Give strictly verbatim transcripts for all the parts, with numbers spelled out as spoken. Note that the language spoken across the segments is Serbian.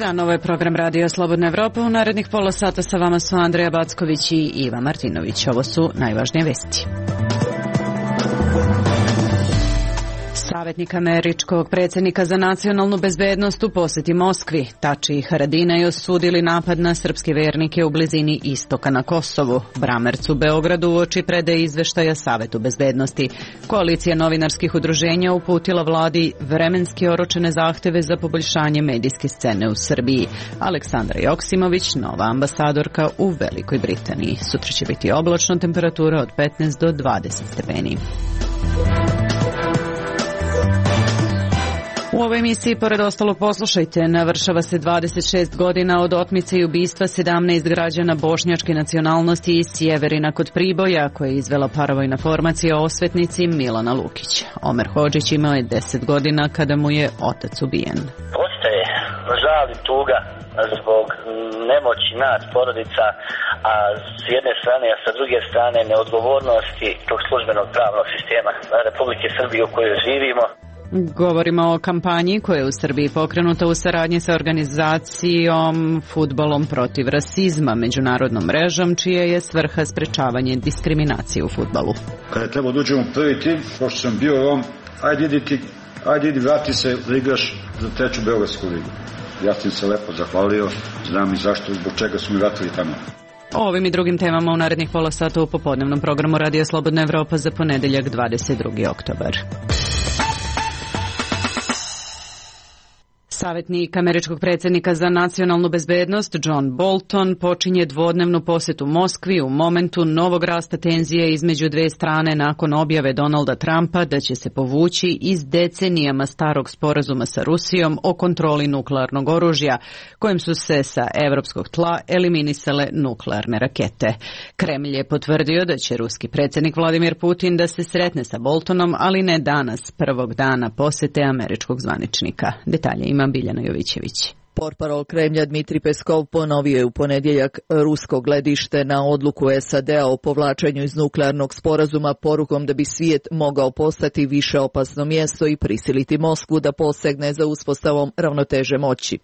dan, ovo je program Radio Slobodna Evropa. U narednih pola sata sa vama su Andreja Backović i Iva Martinović. Ovo su najvažnije vesti. Savjetnik američkog predsjednika za nacionalnu bezbednost u posjeti Moskvi. Tači i Haradinaj osudili napad na srpske vernike u blizini istoka na Kosovu. Bramerc u Beogradu uoči predaje izveštaja Savetu bezbednosti. Koalicija novinarskih udruženja uputila vladi vremenski oročene zahteve za poboljšanje medijske scene u Srbiji. Aleksandra Joksimović, nova ambasadorka u Velikoj Britaniji. Sutra će biti oblačno, temperatura od petnaest do dvadeset stepeni. U ovoj emisiji, pored ostalog, poslušajte, navršava se dvadeset šest godina od otmice i ubistva sedamnaest građana bošnjačke nacionalnosti iz Sjeverina kod Priboja, koje je izvela paravojna formacija o osvetnici Milana Lukić. Omer Hodžić imao je deset godina kada mu je otac ubijen. Ostaje žal i tuga zbog nemoći nas, porodica, a s jedne strane, a sa druge strane neodgovornosti tog službenog pravnog sistema Republike Srbije u kojoj živimo. Govorimo o kampanji koja je u Srbiji pokrenuta u saradnji sa organizacijom Fudbalom protiv rasizma, međunarodnom mrežom, čija je svrha sprečavanje diskriminacije u fudbalu. Kada je trebao da uđemo u prvi tim, pošto sam bio on, ajde idi ti, ajde idi vrati se da igraš za treću Beogradsku ligu. Ja sam se lepo zahvalio, znam i zašto, zbog čega su mi vratili tamo. O ovim i drugim temama u narednih pola sata u popodnevnom programu Radio Slobodna Evropa za ponedeljak dvadeset drugi oktobar. Savjetnik američkog predsjednika za nacionalnu bezbednost John Bolton počinje dvodnevnu posjetu Moskvi u momentu novog rasta tenzije između dve strane nakon objave Donalda Trumpa da će se povući iz decenijama starog sporazuma sa Rusijom o kontroli nuklearnog oružja, kojim su se sa evropskog tla eliminisale nuklearne rakete. Kremlj je potvrdio da će ruski predsjednik Vladimir Putin da se sretne sa Boltonom, ali ne danas, prvog dana posjete američkog zvaničnika. Detalje ima Biljana Jovićević. Portparol Kremlja Dmitri Peskov ponovio je u ponedjeljak rusko gledište na odluku S A D-a o povlačenju iz nuklearnog sporazuma porukom da bi svijet mogao postati više opasno mjesto i prisiliti Moskvu da posegne za uspostavom ravnoteže moći.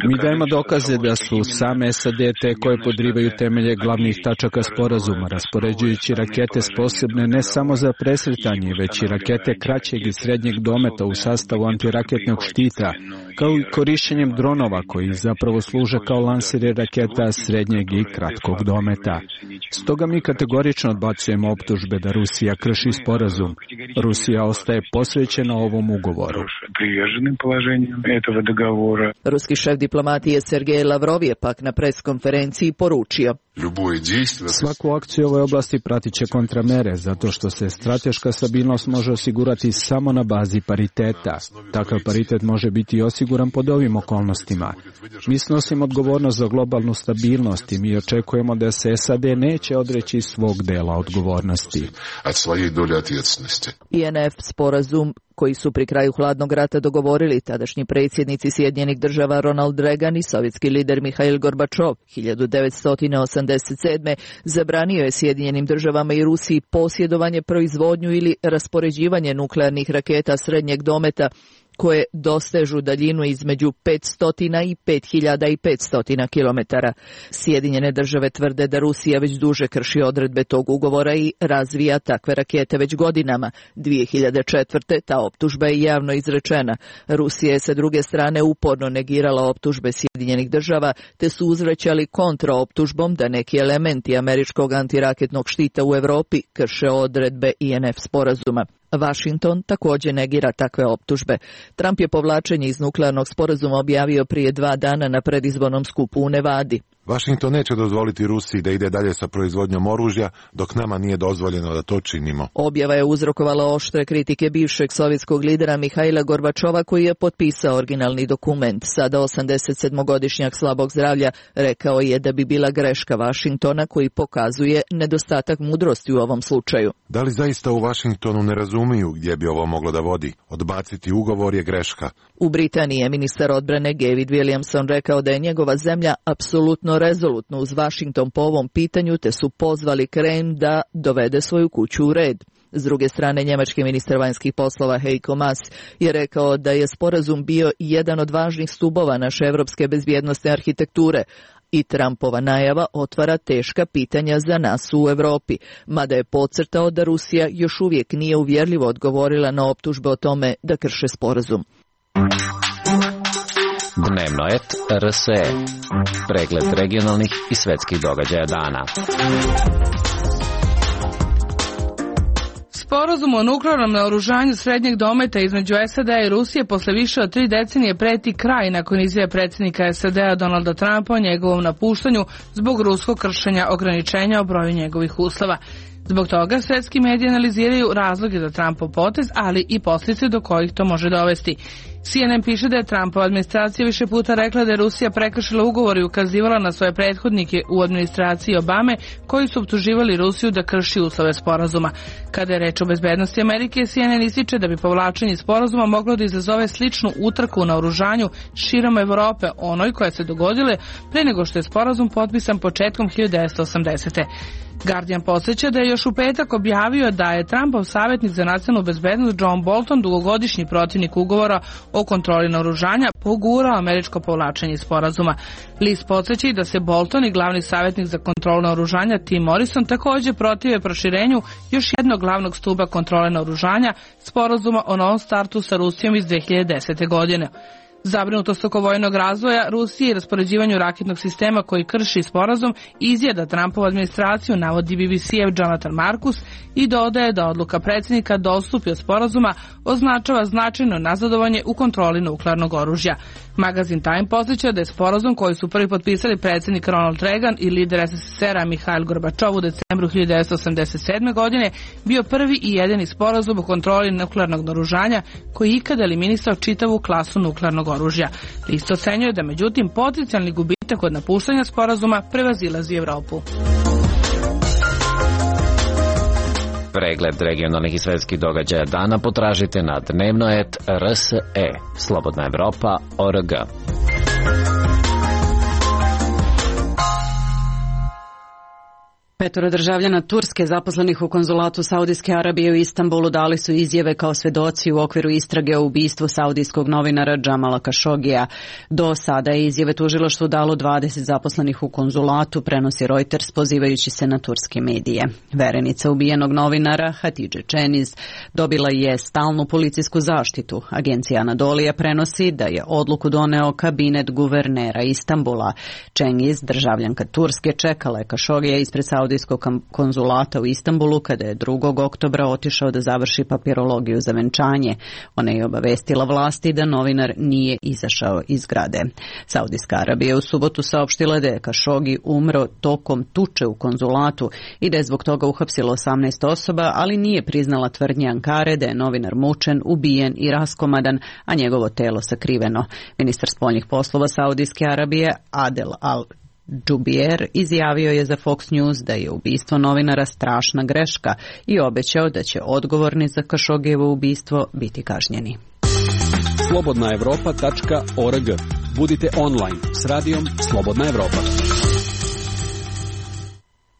Mi dajemo dokaze da su same S A D te koje podrivaju temelje glavnih tačaka sporazuma, raspoređujući rakete sposobne ne samo za presretanje, već i rakete kraćeg i srednjeg dometa u sastavu antiraketnog štita, kao i korišćenjem dronova koji zapravo služe kao lanseri raketa srednjeg i kratkog dometa. Stoga mi kategorično odbacujemo optužbe da Rusija krši sporazum. Rusija ostaje posvećena ovom ugovoru. Ruski šef diplomatije Sergej Lavrov je pak na preskonferenciji poručio: Svaku akciju u ovoj oblasti pratit će kontramere, zato što se strateška stabilnost može osigurati samo na bazi pariteta. Takav paritet može biti osiguran pod ovim okolnostima. Mi snosimo odgovornost za globalnu stabilnost i mi očekujemo da se S A D neće odreći svog dela odgovornosti. I N F sporazum koji su pri kraju hladnog rata dogovorili tadašnji predsjednici Sjedinjenih država Ronald Reagan i sovjetski lider Mihail Gorbačov hiljadu devetsto osamdeset sedme zabranio je Sjedinjenim državama i Rusiji posjedovanje, proizvodnju ili raspoređivanje nuklearnih raketa srednjeg dometa koje dostežu daljinu između petsto i pet hiljada petsto kilometara. Sjedinjene države tvrde da Rusija već duže krši odredbe tog ugovora i razvija takve rakete već godinama. dvije hiljade četvrte ta optužba je javno izrečena. Rusija je sa druge strane uporno negirala optužbe Sjedinjenih država, te su uzvraćali kontraoptužbom da neki elementi američkog antiraketnog štita u Europi krše odredbe I N F sporazuma. Washington također negira takve optužbe. Trump je povlačenje iz nuklearnog sporazuma objavio prije dva dana na predizbornom skupu u Nevadi. Washington neće dozvoliti Rusiji da ide dalje sa proizvodnjom oružja, dok nama nije dozvoljeno da to činimo. Objava je uzrokovala oštre kritike bivšeg sovjetskog lidera Mihaila Gorbačova, koji je potpisao originalni dokument. Sada osamdesetsedmogodišnjak slabog zdravlja rekao je da bi bila greška Washingtona, koji pokazuje nedostatak mudrosti u ovom slučaju. Da li zaista u Washingtonu ne razumiju gdje bi ovo moglo da vodi? Odbaciti ugovor je greška. U Britaniji je ministar odbrane David Williamson rekao da je njegova zemlja apsolutno rezolutno uz Washington po ovom pitanju, te su pozvali Kremlj da dovede svoju kuću u red. S druge strane, njemački ministar vanjskih poslova Heiko Maas je rekao da je sporazum bio jedan od važnih stubova naše evropske bezbjednosne arhitekture, i Trumpova najava otvara teška pitanja za nas u Evropi, mada je podcrtao da Rusija još uvijek nije uvjerljivo odgovorila na optužbe o tome da krše sporazum. Dnevno et R S E. Pregled regionalnih i svetskih događaja dana. Sporazum o nuklearnom naoružanju srednjeg dometa između S A D-a i Rusije posle više od tri decenije preti kraj nakon izjave predsjednika S A D-a Donalda Trumpa o njegovom napuštanju zbog ruskog kršenja ograničenja o broju njegovih uslova. Zbog toga svetski mediji analiziraju razloge za Trumpov potez, ali i posljedice do kojih to može dovesti. C N N piše da je Trumpova administracija više puta rekla da je Rusija prekršila ugovor i ukazivala na svoje prethodnike u administraciji Obame koji su optuživali Rusiju da krši uslove sporazuma. Kada je reč o bezbednosti Amerike, C N N ističe da bi povlačenje sporazuma moglo da izazove sličnu utrku na oružanju širom Evrope, onoj koja se dogodile pre nego što je sporazum potpisan početkom hiljadu devetsto osamdesete. Guardian podsjeća da je još u petak objavio da je Trumpov savjetnik za nacionalnu bezbednost John Bolton, dugogodišnji protivnik ugovora o kontroli naoružanja, pogurao američko povlačenje sporazuma. List podsjeća i da se Bolton i glavni savjetnik za kontrolu naoružanja Tim Morrison također protive proširenju još jednog glavnog stuba kontrole naoružanja, sporazuma o novom startu sa Rusijom iz dve hiljade desete. godine. Zabrinutost oko vojnog razvoja Rusije i raspoređivanju raketnog sistema koji krši sporazum izjeda Trumpovu administraciju, navodi B B C-ev Jonathan Marcus i dodaje da odluka predsjednika da odstupi od sporazuma označava značajno nazadovanje u kontroli nuklearnog oružja. Magazin Time podsjeća da je sporazum koji su prvi potpisali predsjednik Ronald Reagan i lider S S S R-a Mihail Gorbačov u decembru hiljadu devetsto osamdeset sedme. godine bio prvi i jedini sporazum o kontroli nuklearnog naoružanja koji je ikada eliminisao čitavu klasu nuklearnog oružja. List ocenjuje da međutim potencijalni gubitak od napuštanja sporazuma prevazilazi Evropu. Pregled regionalnih i svetskih događaja dana potražite na dnevno et R S E. Slobodna Evropa O R G. Petoro državljana Turske zaposlenih u konzulatu Saudijske Arabije u Istanbulu dali su izjave kao svedoci u okviru istrage o ubistvu saudijskog novinara Džamala Kašogija. Do sada je izjave tužilaštvu dalo dvadeset zaposlenih u konzulatu, prenosi Reuters pozivajući se na turske medije. Verenica ubijenog novinara Hatidže Čeniz dobila je stalnu policijsku zaštitu. Agencija Anadolija prenosi da je odluku doneo kabinet guvernera Istanbula. Čeniz, državljanka Turske, čekala je Kašogija ispred Saudijskog konzulata u Istanbulu kada je drugog oktobra otišao da završi papirologiju za venčanje. Ona je obavestila vlasti da novinar nije izašao iz zgrade. Saudijska Arabija u subotu saopštila da je Kašogi umro tokom tuče u konzulatu i da je zbog toga uhapsilo osamnaest osoba, ali nije priznala tvrdnje Ankare da je novinar mučen, ubijen i raskomadan, a njegovo telo sakriveno. Ministar spoljnih poslova Saudijske Arabije Adel Al Džubijer izjavio je za Fox News da je ubistvo novinara strašna greška i obećao da će odgovorni za Kašogijevo ubistvo biti kažnjeni. slobodna evropa tačka org. Budite online s radijom Slobodna Evropa.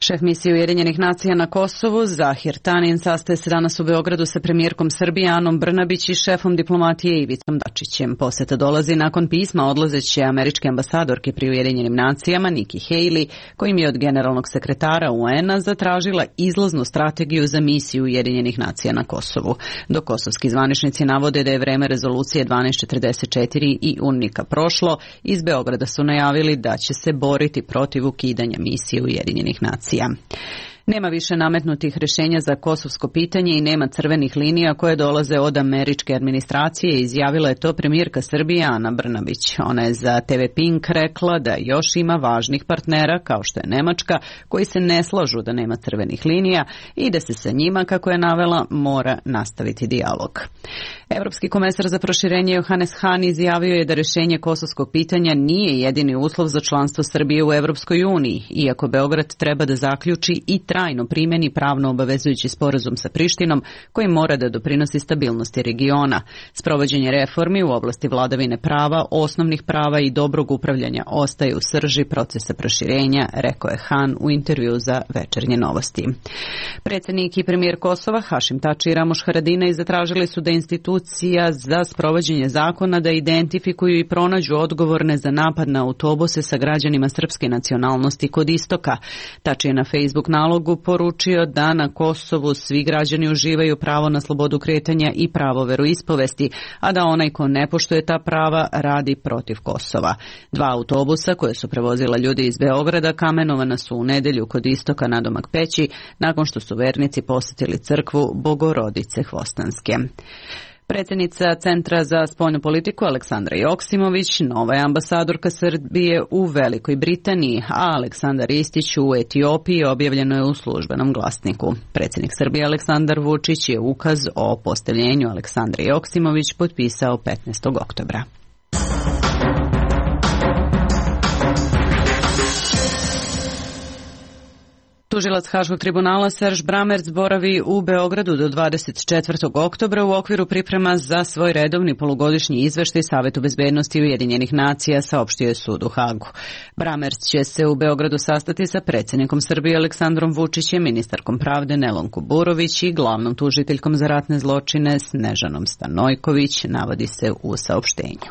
Šef misije Ujedinjenih nacija na Kosovu, Zahir Tanin, sastaje se danas u Beogradu sa premijerkom Srbije Anom Brnabić i šefom diplomatije Ivicom Dačićem. Poseta dolazi nakon pisma odlazeće američke ambasadorke pri Ujedinjenim nacijama Nikki Haley, kojim je od generalnog sekretara U N a zatražila izlaznu strategiju za misiju Ujedinjenih nacija na Kosovu. Dok kosovski zvaničnici navode da je vreme rezolucije dvanaest četrdeset četiri i UNMIK-a prošlo, iz Beograda su najavili da će se boriti protiv ukidanja misije Ujedinjenih nacija. Nema više nametnutih rješenja za kosovsko pitanje i nema crvenih linija koje dolaze od američke administracije, izjavila je to premijerka Srbije Ana Brnabić. Ona je za T V Pink rekla da još ima važnih partnera, kao što je Nemačka, koji se ne slažu da nema crvenih linija i da se sa njima, kako je navela, mora nastaviti dijalog. Evropski komesar za proširenje Johannes Hahn izjavio je da rješenje kosovskog pitanja nije jedini uslov za članstvo Srbije u Evropskoj uniji, iako Beograd treba da zaključi i trajno primjeni pravno obavezujući sporazum sa Prištinom koji mora da doprinosi stabilnosti regiona. Sprovođenje reformi u oblasti vladavine prava, osnovnih prava i dobrog upravljanja ostaje u srži procesa proširenja, rekao je Han u intervju za Večernje novosti. Predsjednik i premijer Kosova Hašim Tači i Ramoš Haradinaj zatražili su da institucija za sprovođenje zakona da identifikuju i pronađu odgovorne za napad na autobuse sa građanima srpske nacionalnosti kod istoka. Tači je na Facebook nalogu poručio da na Kosovu svi građani uživaju pravo na slobodu kretanja i pravo veroispovesti, a da onaj ko ne poštuje ta prava radi protiv Kosova. Dva autobusa koje su prevozila ljudi iz Beograda kamenovana su u nedelju kod istoka nadomak Peći nakon što su vernici posjetili crkvu Bogorodice Hvostanske. Predsjednica Centra za spoljnu politiku Aleksandra Joksimović nova je ambasadorka Srbije u Velikoj Britaniji, a Aleksandar Istić u Etiopiji objavljeno je u službenom glasniku. Predsjednik Srbije Aleksandar Vučić je ukaz o postavljenju Aleksandre Joksimović potpisao petnaestog oktobra. Tužilac Haškog tribunala Serž Bramerc boravi u Beogradu do dvadeset četvrtog oktobra u okviru priprema za svoj redovni polugodišnji izveštaj Savetu bezbednosti Ujedinjenih nacija, saopštio je sud u Hagu. Bramerc će se u Beogradu sastati sa predsjednikom Srbije Aleksandrom Vučićem, ministarkom pravde Nelom Kuburović i glavnom tužiteljkom za ratne zločine Snežanom Stanojković, navodi se u saopštenju.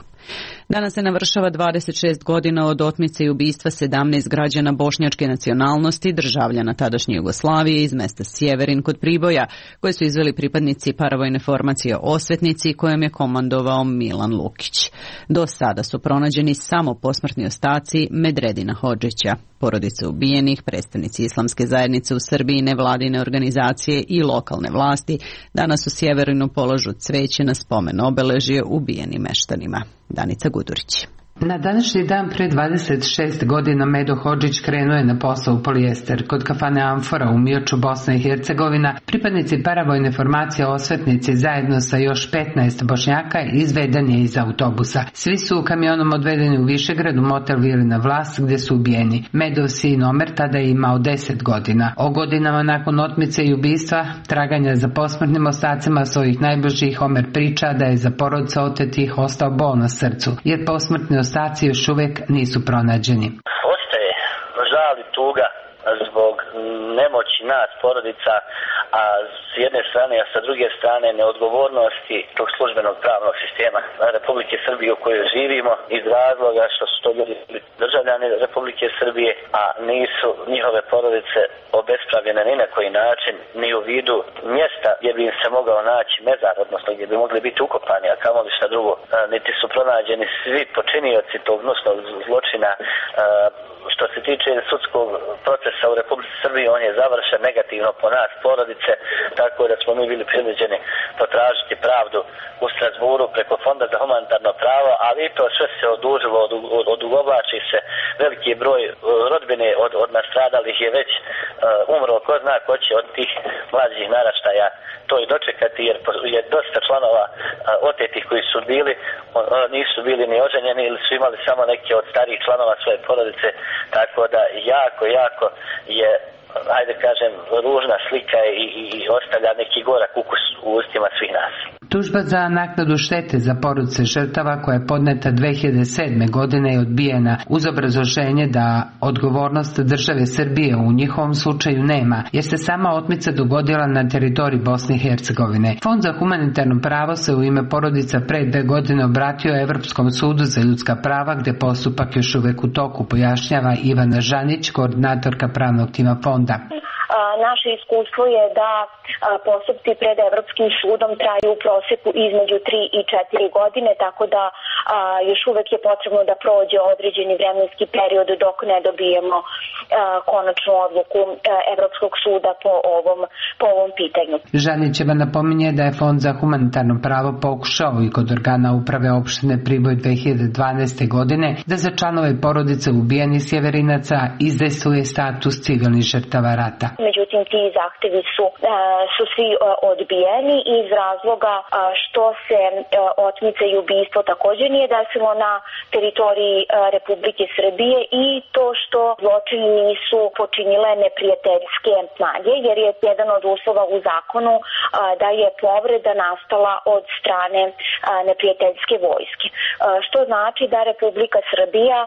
Danas se navršava dvadeset šest godina od otmice i ubistva sedamnaest građana bošnjačke nacionalnosti, državljana tadašnje Jugoslavije iz mesta Sjeverin kod Priboja, koje su izveli pripadnici paravojne formacije Osvetnici kojom je komandovao Milan Lukić. Do sada su pronađeni samo posmrtni ostaci Medredina Hodžića. Porodice ubijenih, predstavnici islamske zajednice u Srbiji, nevladine organizacije i lokalne vlasti danas u Sjeverinu polažu cveće na spomen obeležje ubijenim meštanima. Danica Gudurić. Na današnji dan pre dvadeset šest godina Medo Hodžić krenuo je na posao u polijester. Kod kafane Amfora u Mioču, Bosna i Hercegovina, pripadnici paravojne formacije Osvetnici zajedno sa još petnaest Bošnjaka izveden je iz autobusa. Svi su kamionom odvedeni u Višegrad u motel Vilina Vlas gdje su ubijeni. Medov sin Omer tada je imao deset godina. O godinama nakon otmice i ubistva, traganja za posmrtnim ostacima svojih najbližih, Omer priča da je za porodice otetih ostao bol na srcu, jer posmrtni ostaci još uvijek nisu pronađeni. Ostaje žal i tuga zbog nemoći nas, porodica, a s jedne strane, a sa druge strane neodgovornosti tog službenog pravnog sistema Republike Srbije u kojoj živimo, iz razloga što su to ljudi državljani Republike Srbije, a nisu njihove porodice obespravljene ni na koji način, ni u vidu mjesta gdje bi im se mogao naći mezar, odnosno gdje bi mogli biti ukopani, a kamoli šta drugo. Niti su pronađeni svi počinioci tog gnusnog zločina. Što se tiče sudskog procesa u Republici Srbiji, on je završen negativno po nas, porodice, tako da smo mi bili prinuđeni potražiti pravdu u Strasburu preko Fonda za humanitarno pravo, ali i to sve se odužilo, odugovlači se. Veliki broj rodbine od, od nastradalih je već uh, umro, ko zna ko će od tih mlađih naraštaja to i dočekati, jer je dosta članova uh, otetih koji su bili, on, on, nisu bili ni oženjeni ili su imali samo neke od starijih članova svoje porodice, tako da jako, jako je, ajde kažem, ružna slika i, i, i ostavlja neki gorak ukus u ustima svih nas. Tužba za naknadu štete za porodice žrtava koja je podneta dve hiljade sedme. godine je odbijena uz obrazloženje da odgovornost države Srbije u njihovom slučaju nema, jer se sama otmica dogodila na teritoriji Bosne i Hercegovine. Fond za humanitarno pravo se u ime porodica pre dve godine obratio Evropskom sudu za ljudska prava, gde postupak još uvek u toku, pojašnjava Ivana Žanić, koordinatorka pravnog tima fonda. Naše iskustvo je da postupci pred Evropskim sudom traju u proseku između tri i četiri godine, tako da a, još uvek je potrebno da prođe određeni vremenski period dok ne dobijemo a, konačnu odluku a, Evropskog suda po ovom, po ovom pitanju. Žanićeva napominje da je Fond za humanitarno pravo pokušao i kod organa uprave opštine Priboj dve hiljade dvanaeste. godine da za članove porodice ubijenih sjeverinaca izdejstvuje status civilnih žrtava rata. Međutim, ti zahtevi su, su svi odbijeni iz razloga što se otmica i ubistvo također nije desilo na teritoriji Republike Srbije i to što zločini nisu počinile neprijateljske snage, jer je jedan od uslova u zakonu da je povreda nastala od strane neprijateljske vojske. Što znači da Republika Srbija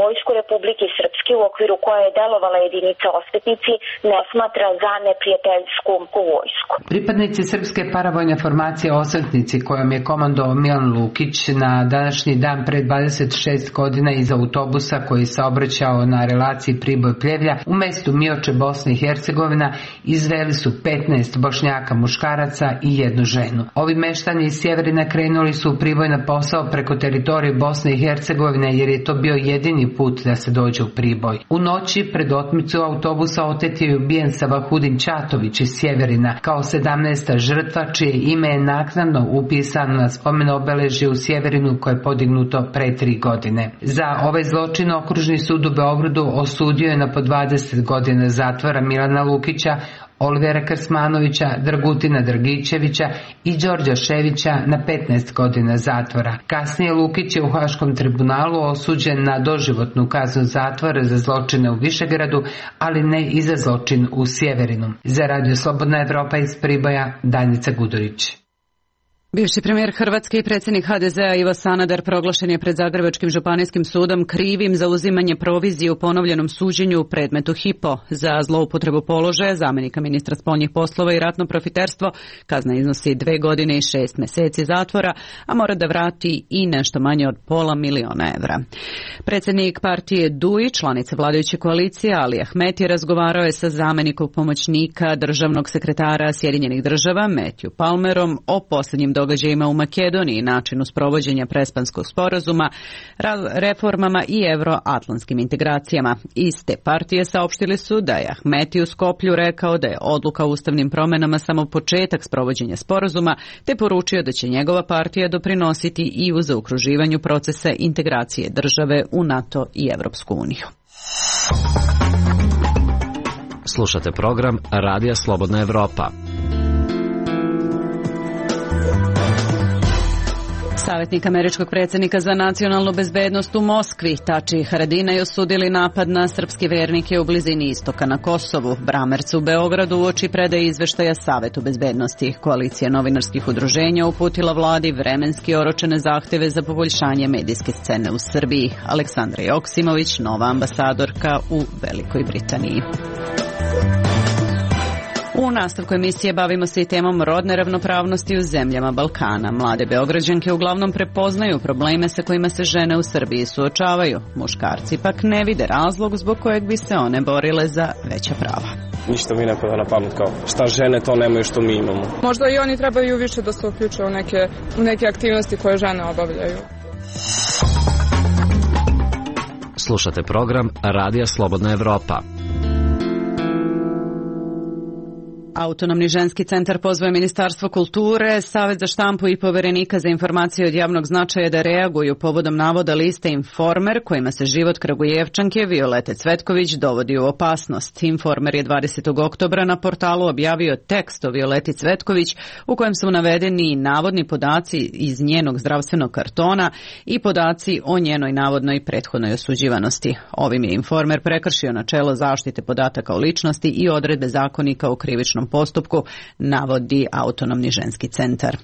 vojsku Republike Srpske, u okviru koje je delovala jedinica Osvetnici, ne smatra za neprijateljsku vojsku. Pripadnici srpske paravojne formacije Osvetnici, kojom je komandovao Milan Lukić, na današnji dan pre dvadeset šest godina iz autobusa koji saobraćao na relaciji Priboj-Pljevlja u mestu Mioče, Bosna i Hercegovina, izveli su petnaest Bošnjaka muškaraca i jednu ženu. Ovi meštani iz Sjeverina krenuli su u Priboj na posao preko teritorije Bosne i Hercegovine, jer je to bio jedini put da se dođe u Priboj. U noći pred otmicu autobusa otet je ubijen Savahudin Ćatović iz Sjeverina kao sedamnaesta žrtva, čije ime je naknadno upisano na spomen obeležje u Sjeverinu koje je podignuto pre tri godine. Za ovaj zločin Okružni sud u Beogradu osudio je na po dvadeset godina zatvora Milana Lukića, Olivera Krsmanovića, Dragutina Dragićevića i Đorđa Ševića na petnaest godina zatvora. Kasnije Lukić je u Haškom tribunalu osuđen na doživotnu kaznu zatvora za zločine u Višegradu, ali ne i za zločin u Sjeverinu. Za Radio Slobodna Evropa iz Priboja, Danica Gudurić. Bivši premijer Hrvatske i predsjednik ha de zea Ivo Sanader proglašen je pred Zagrebačkim županijskim sudom krivim za uzimanje provizije u ponovljenom suđenju u predmetu Hypo. Za zloupotrebu položaja zamjenika ministra spoljnih poslova i ratno profiterstvo kazna iznosi dve godine i šest mjeseci zatvora, a mora da vrati i nešto manje od pola miliona evra. Predsjednik partije D U I, članice vladajuće koalicije Ali Ahmeti, razgovarao je sa zamjenikom pomoćnika državnog sekretara Sjedinjenih država Matthew Palmerom o posljednjim događajima u Makedoniji, načinu sprovođenja Prespanskog sporazuma, reformama i euroatlantskim integracijama. Iz te partije saopštili su da je Ahmeti u Skoplju rekao da je odluka o ustavnim promjenama samo početak sprovođenja sporazuma, te poručio da će njegova partija doprinositi i u zaokruživanju procesa integracije države u NATO i Evropsku uniju. Slušate program Radija Slobodna Evropa. Savjetnik američkog predsjednika za nacionalnu bezbednost u Moskvi, Tači Haradinaj, osudili napad na srpske vernike u blizini istoka na Kosovu. Bramerc u Beogradu uoči predaje izveštaja Savetu bezbednosti. Koalicija novinarskih udruženja uputila vladi vremenski oročene zahtjeve za poboljšanje medijske scene u Srbiji. Aleksandra Joksimović, nova ambasadorka u Velikoj Britaniji. U nastavku emisije bavimo se i temom rodne ravnopravnosti u zemljama Balkana. Mlade Beograđanke uglavnom prepoznaju probleme sa kojima se žene u Srbiji suočavaju. Muškarci pak ne vide razlog zbog kojeg bi se one borile za veća prava. Ništa mi ne pada na pamet kao šta žene to nemaju što mi imamo. Možda i oni trebaju više da se uključe u neke, u neke aktivnosti koje žene obavljaju. Slušate program Radija Slobodna Evropa. Autonomni ženski centar pozvao Ministarstvo kulture, Savet za štampu i Poverenika za informacije od javnog značaja da reaguju povodom navoda liste Informer kojima se život Kragujevčanke Violete Cvetković dovodi u opasnost. Informer je dvadesetog oktobra na portalu objavio tekst o Violeti Cvetković u kojem su navedeni navodni podaci iz njenog zdravstvenog kartona i podaci o njenoj navodnoj prethodnoj osuđivanosti. Ovim je Informer prekršio načelo zaštite podataka o ličnosti i odredbe zakonika o krivičnom postupku, navodi Autonomni ženski centar.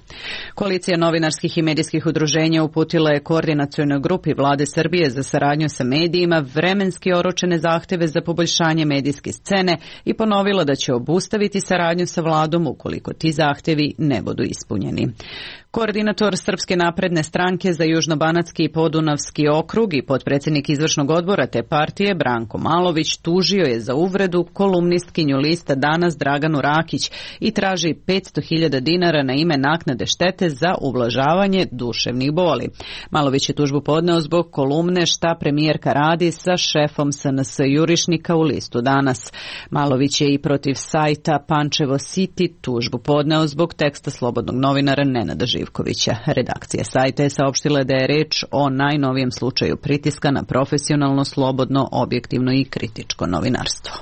Koalicija novinarskih i medijskih udruženja uputila je koordinacionoj grupi Vlade Srbije za saradnju sa medijima vremenski oročene zahtjeve za poboljšanje medijske scene i ponovila da će obustaviti saradnju sa vladom ukoliko ti zahtjevi ne budu ispunjeni. Koordinator Srpske napredne stranke za Južnobanatski i Podunavski okrug i potpredsjednik izvršnog odbora te partije Branko Malović tužio je za uvredu kolumnistkinju lista Danas Draganu Rakić i traži petsto hiljada dinara na ime naknade štete za ublažavanje duševnih boli. Malović je tužbu podneo zbog kolumne Šta premijerka radi sa šefom es en es jurišnika u listu Danas. Malović je i protiv sajta Pančevo City tužbu podneo zbog teksta slobodnog novinara Nenada Živkovića. Redakcija sajta je saopštila da je reč o najnovijem slučaju pritiska na profesionalno, slobodno, objektivno i kritičko novinarstvo.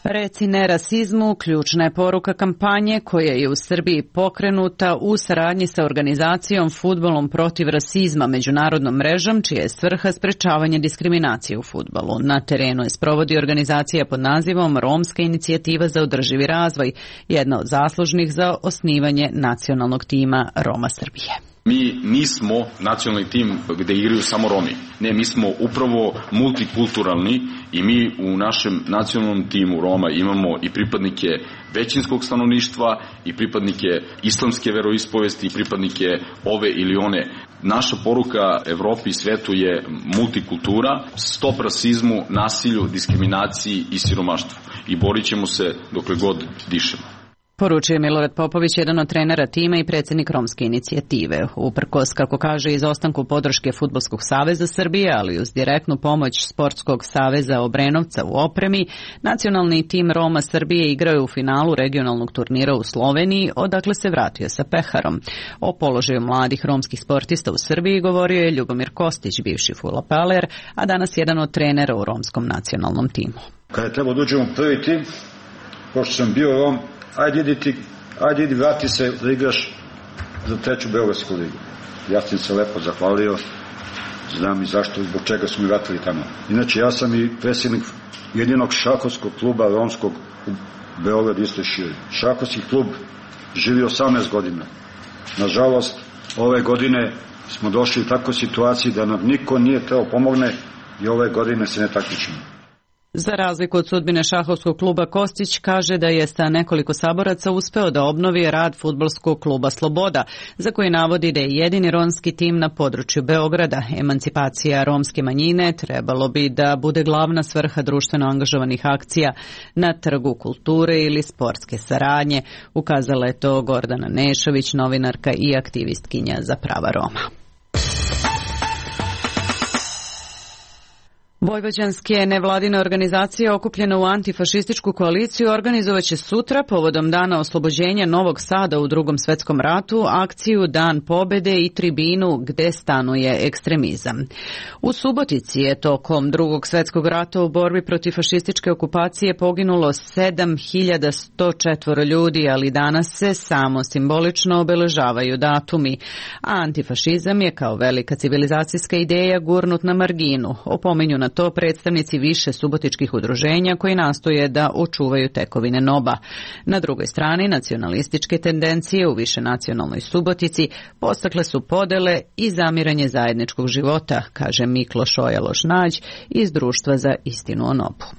Reci ne rasizmu, ključna je poruka kampanje koja je u Srbiji pokrenuta u saradnji sa organizacijom Fudbalom protiv rasizma, međunarodnom mrežom, čija je svrha sprečavanje diskriminacije u fudbalu. Na terenu je sprovodi organizacija pod nazivom Romska inicijativa za održivi razvoj, jedna od zaslužnih za osnivanje nacionalnog tima Roma Srbije. Mi nismo nacionalni tim gde igraju samo Romi. Ne, mi smo upravo multikulturalni i mi u našem nacionalnom timu Roma imamo i pripadnike većinskog stanovništva i pripadnike islamske veroispovesti i pripadnike ove ili one. Naša poruka Evropi i svetu je multikultura, stop rasizmu, nasilju, diskriminaciji i siromaštvu. I borit ćemo se dokle god dišemo. Poručuje Milorad Popović, jedan od trenera tima i predsjednik Romske inicijative. Uprkos, kako kaže, izostanku podrške Fudbalskog saveza Srbije, ali uz direktnu pomoć Sportskog saveza Obrenovca u opremi, nacionalni tim Roma Srbije igraju u finalu regionalnog turnira u Sloveniji, odakle se vratio sa peharom. O položaju mladih romskih sportista u Srbiji govorio je Ljubomir Kostić, bivši fudbaler, a danas jedan od trenera u romskom nacionalnom timu. Kada je trebao da uđemo prvi tim, pošto sam bio Rom, Ajde idi ti, ajde idi vrati se da igraš za treću Beogradsku ligu. Ja sam se lepo zahvalio, znam i zašto, zbog čega su mi vratili tamo. Inače, ja sam i predsjednik jedinog šahovskog kluba romskog u Beogradu isto širi. Šahovski klub živi osamnaest godina. Nažalost, ove godine smo došli u takvu situaciju da nam niko nije teo pomogne i ove godine se ne takmičimo. Za razliku od sudbine šahovskog kluba, Kostić kaže da je sa nekoliko saboraca uspeo da obnovi rad fudbalskog kluba Sloboda, za koji navodi da je jedini romski tim na području Beograda. Emancipacija romske manjine trebalo bi da bude glavna svrha društveno angažovanih akcija na Trgu kulture ili sportske saradnje, ukazala je to Gordana Nešović, novinarka i aktivistkinja za prava Roma. Vojvođanske nevladine organizacije okupljene u antifašističku koaliciju organizovaće sutra povodom Dana oslobođenja Novog Sada u Drugom svetskom ratu akciju Dan pobede i tribinu gde stanuje ekstremizam. U Subotici je tokom Drugog svetskog rata u borbi protiv fašističke okupacije poginulo sedam hiljada sto četiri ljudi, ali danas se samo simbolično obeležavaju datumi. A antifašizam je kao velika civilizacijska ideja gurnut na marginu, opominju na to predstavnici više subotičkih udruženja koji nastoje da očuvaju tekovine N O B A. Na drugoj strani, nacionalističke tendencije u višenacionalnoj Subotici postakle su podele i zamiranje zajedničkog života, kaže Mikloš Ojaloš-Nađ iz Društva za istinu o N O B U.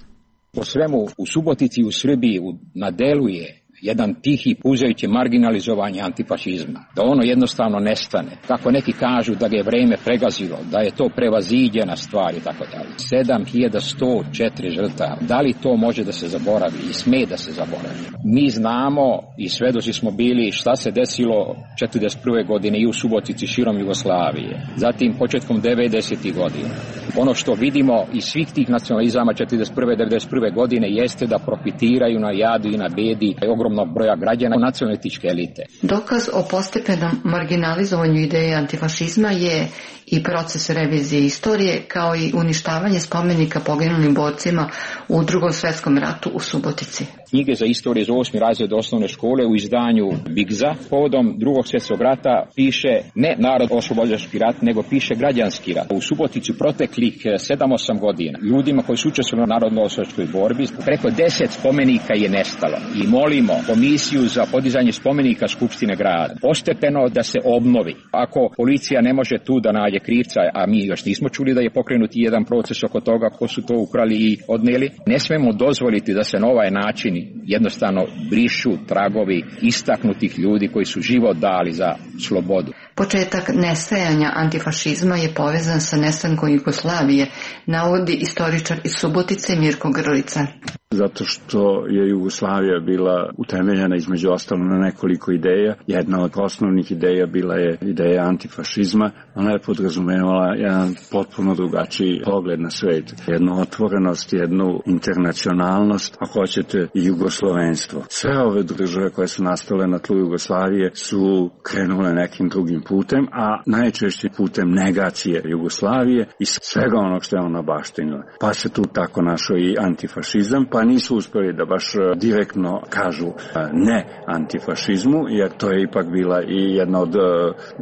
Po svemu u Subotici u Srbiji na delu je jedan tihi puzajući marginalizovanje antifašizma, da ono jednostavno nestane. Kako neki kažu da ga je vreme pregazilo, da je to prevaziđena stvar i tako dalje. sedam hiljada sto četiri žrtava. Da li to može da se zaboravi i sme da se zaboravi? Mi znamo i svedoci smo bili šta se desilo četrdeset prve godine i u Subotici širom Jugoslavije. Zatim početkom devedesetih godina. Ono što vidimo iz svih tih nacionalizama četrdeset prve devedeset prve godine jeste da profitiraju na jadu i na bedi ogromnog broja građana nacionalističke elite. Dokaz o postepenom marginalizovanju ideje antifašizma je i proces revizije istorije, kao i uništavanje spomenika poginulim borcima u Drugom svetskom ratu u Subotici. Knjige za istorije za osmi razred osnovne škole u izdanju Bigza povodom Drugog svjetskog rata piše ne narod oslobodilački rat, nego piše građanski rat. U Subotici proteklih sedam osam godina ljudima koji su učestvovali u narodno-oslobodilačkoj borbi preko deset spomenika je nestalo i molimo komisiju za podizanje spomenika Skupštine grada postepeno da se obnovi. Ako policija ne može tu da nađe krivca, a mi još nismo čuli da je pokrenut jedan proces oko toga ko su to ukrali i odneli, ne smemo dozvoliti da se na ovaj način jednostavno brišu tragovi istaknutih ljudi koji su život dali za slobodu. Početak nestajanja antifašizma je povezan sa nestankom Jugoslavije, navodi istoričar iz Subotice Mirko Grlica. Zato što je Jugoslavija bila utemeljena između ostalo na nekoliko ideja. Jedna od osnovnih ideja bila je ideja antifašizma. Ona je podrazumevala jedan potpuno drugačiji pogled na svet. Jednu otvorenost, jednu internacionalnost, ako hoćete i jugoslovenstvo. Sve ove države koje su nastale na tlu Jugoslavije su krenule nekim drugim putem, a najčešće putem negacije Jugoslavije i svega onog što je ona baštinila. Pa se tu tako našao i antifašizam, pa pa nisu uspjeli da baš direktno kažu ne antifašizmu, jer to je ipak bila i jedna od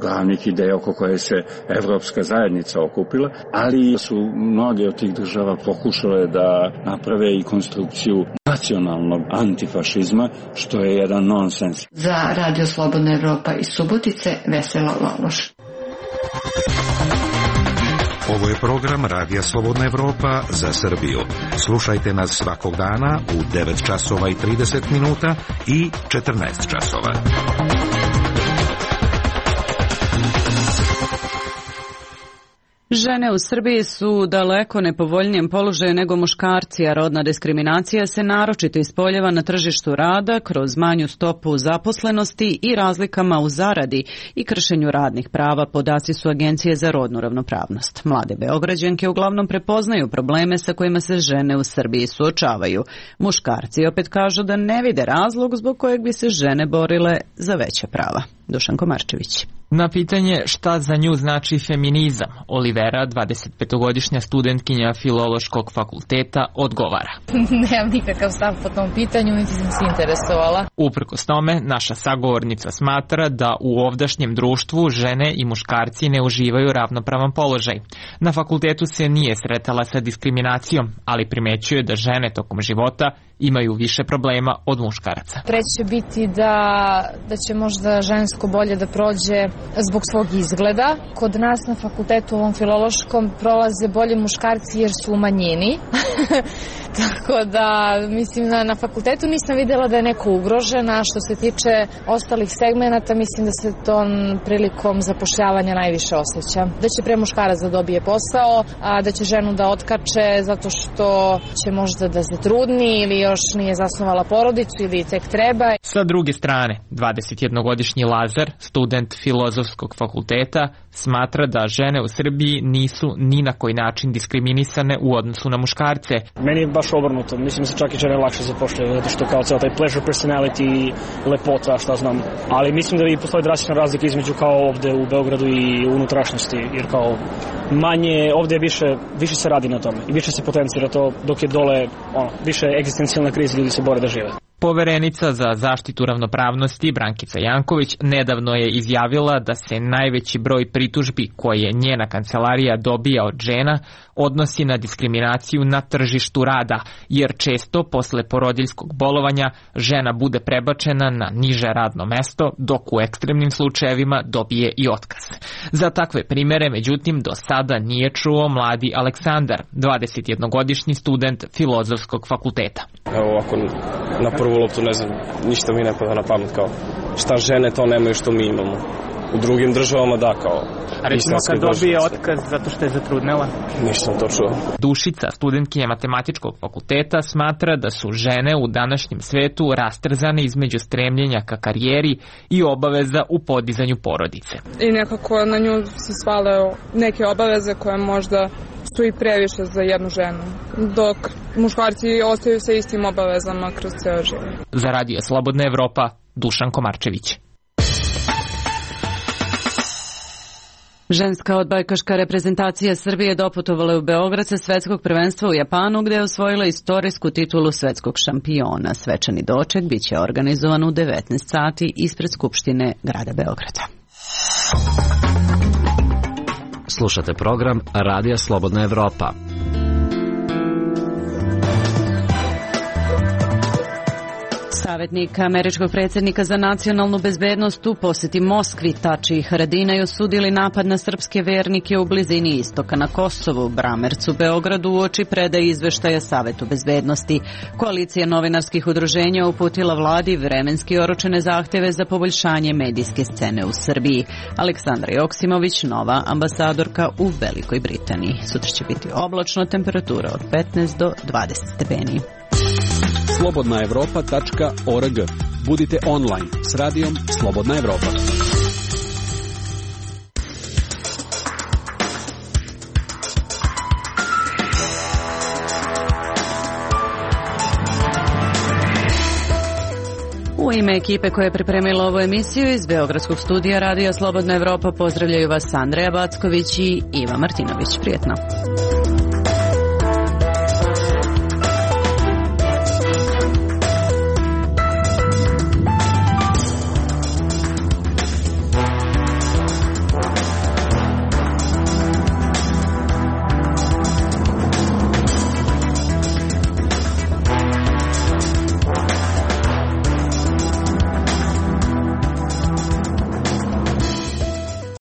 glavnih ideja oko koje se Evropska zajednica okupila, ali su mnoge od tih država pokušale da naprave i konstrukciju nacionalnog antifašizma, što je jedan nonsens. Za Radio Slobodna Evropa iz Subotice, Vesela Laloš. Ovo je program Radija Slobodna Evropa za Srbiju. Slušajte nas svakog dana u devet časova i trideset minuta i četrnaest časova. Žene u Srbiji su u daleko nepovoljnijem položaju nego muškarci, a rodna diskriminacija se naročito ispoljava na tržištu rada kroz manju stopu zaposlenosti i razlikama u zaradi i kršenju radnih prava, podaci su Agencije za rodnu ravnopravnost. Mlade Beograđanke uglavnom prepoznaju probleme sa kojima se žene u Srbiji suočavaju. Muškarci opet kažu da ne vide razlog zbog kojeg bi se žene borile za veća prava. Dušan Komarčević. Na pitanje šta za nju znači feminizam, Olivera, dvadesetpetogodišnja studentkinja Filološkog fakulteta, odgovara. Nemam nikakav stav po tom pitanju, niti sam se interesovala. Uprkos tome, naša sagovornica smatra da u ovdašnjem društvu žene i muškarci ne uživaju ravnopravan položaj. Na fakultetu se nije sretala sa diskriminacijom, ali primećuje da žene tokom života imaju više problema od muškaraca. Treće će biti da, da će možda žensko bolje da prođe zbog svog izgleda. Kod nas na fakultetu ovom filološkom prolaze bolje muškarci jer su u manjini. Tako da, mislim, na, na fakultetu nisam vidjela da je neko ugrožen, a što se tiče ostalih segmenata, mislim da se to prilikom zapošljavanja najviše osjeća. Da će pre muškarac da dobije posao, a da će ženu da otkače zato što će možda da zatrudni ili još nije zasnovala porodicu ili tek treba. Sa druge strane, dvadesetjednogodišnji Lazar, student Filozofskog fakulteta, smatra da žene u Srbiji nisu ni na koji način diskriminisane u odnosu na muškarce. Meni je baš obrnuto, mislim da se čak i žene lakše zapošljaju, zato što kao ceo taj pleasure personality i lepota, šta znam. Ali mislim da i postoji drastična razlika između kao ovde u Beogradu i unutrašnjosti, jer kao manje, ovde više, više se radi na tome i više se potencira to, dok je dole ono, više egzistencijalna kriza, ljudi se bore da žive. Poverenica za zaštitu ravnopravnosti Brankica Janković nedavno je izjavila da se najveći broj pritužbi koje njena kancelarija dobija od žena odnosi na diskriminaciju na tržištu rada, jer često posle porodiljskog bolovanja žena bude prebačena na niže radno mesto, dok u ekstremnim slučajevima dobije i otkaz. Za takve primere, međutim, do sada nije čuo mladi Aleksandar, dvadesetjednogodišnji student Filozofskog fakulteta. Evo ovako, na prvu loptu ne znam, ništa mi ne pada na pamet kao šta žene to nemaju što mi imamo. U drugim državama da, kao... A recimo kad dobije otkaz zato što je zatrudnela? Nisam to čuo. Dušica, studentkinja Matematičkog fakulteta, smatra da su žene u današnjem svetu rastrzane između stremljenja ka karijeri i obaveza u podizanju porodice. I nekako na nju se svale neke obaveze koje možda su i previše za jednu ženu, dok muškarci ostaju sa istim obavezama kroz ceo život. Za Radio Slobodna Evropa, Dušan Komarčević. Ženska odbojkaška reprezentacija Srbije doputovala je u Beograd sa svetskog prvenstva u Japanu, gde je osvojila istorijsku titulu svetskog šampiona. Svečani doček biće organizovan u devetnaest sati ispred Skupštine grada Beograda. Slušate program Radija Slobodna Evropa. Savjetnik američkog predsjednika za nacionalnu bezbednost u posjeti Moskvi Tači i Haradinaj osudili napad na srpske vernike u blizini istoka na Kosovu, Bramercu, Beogradu uoči predaje izveštaja Savetu bezbednosti. Koalicija novinarskih udruženja uputila vladi vremenski oročene zahtjeve za poboljšanje medijske scene u Srbiji. Aleksandra Joksimović, nova ambasadorka u Velikoj Britaniji. Sutra će biti oblačno, temperatura od petnaest do dvadeset stepeni. slobodna evropa tačka org. Budite online s radijom Slobodna Evropa. U ime ekipe koja je pripremila ovu emisiju iz Beogradskog studija Radija Slobodna Evropa pozdravljaju vas Andreja Backović i Iva Martinović. Prijetno.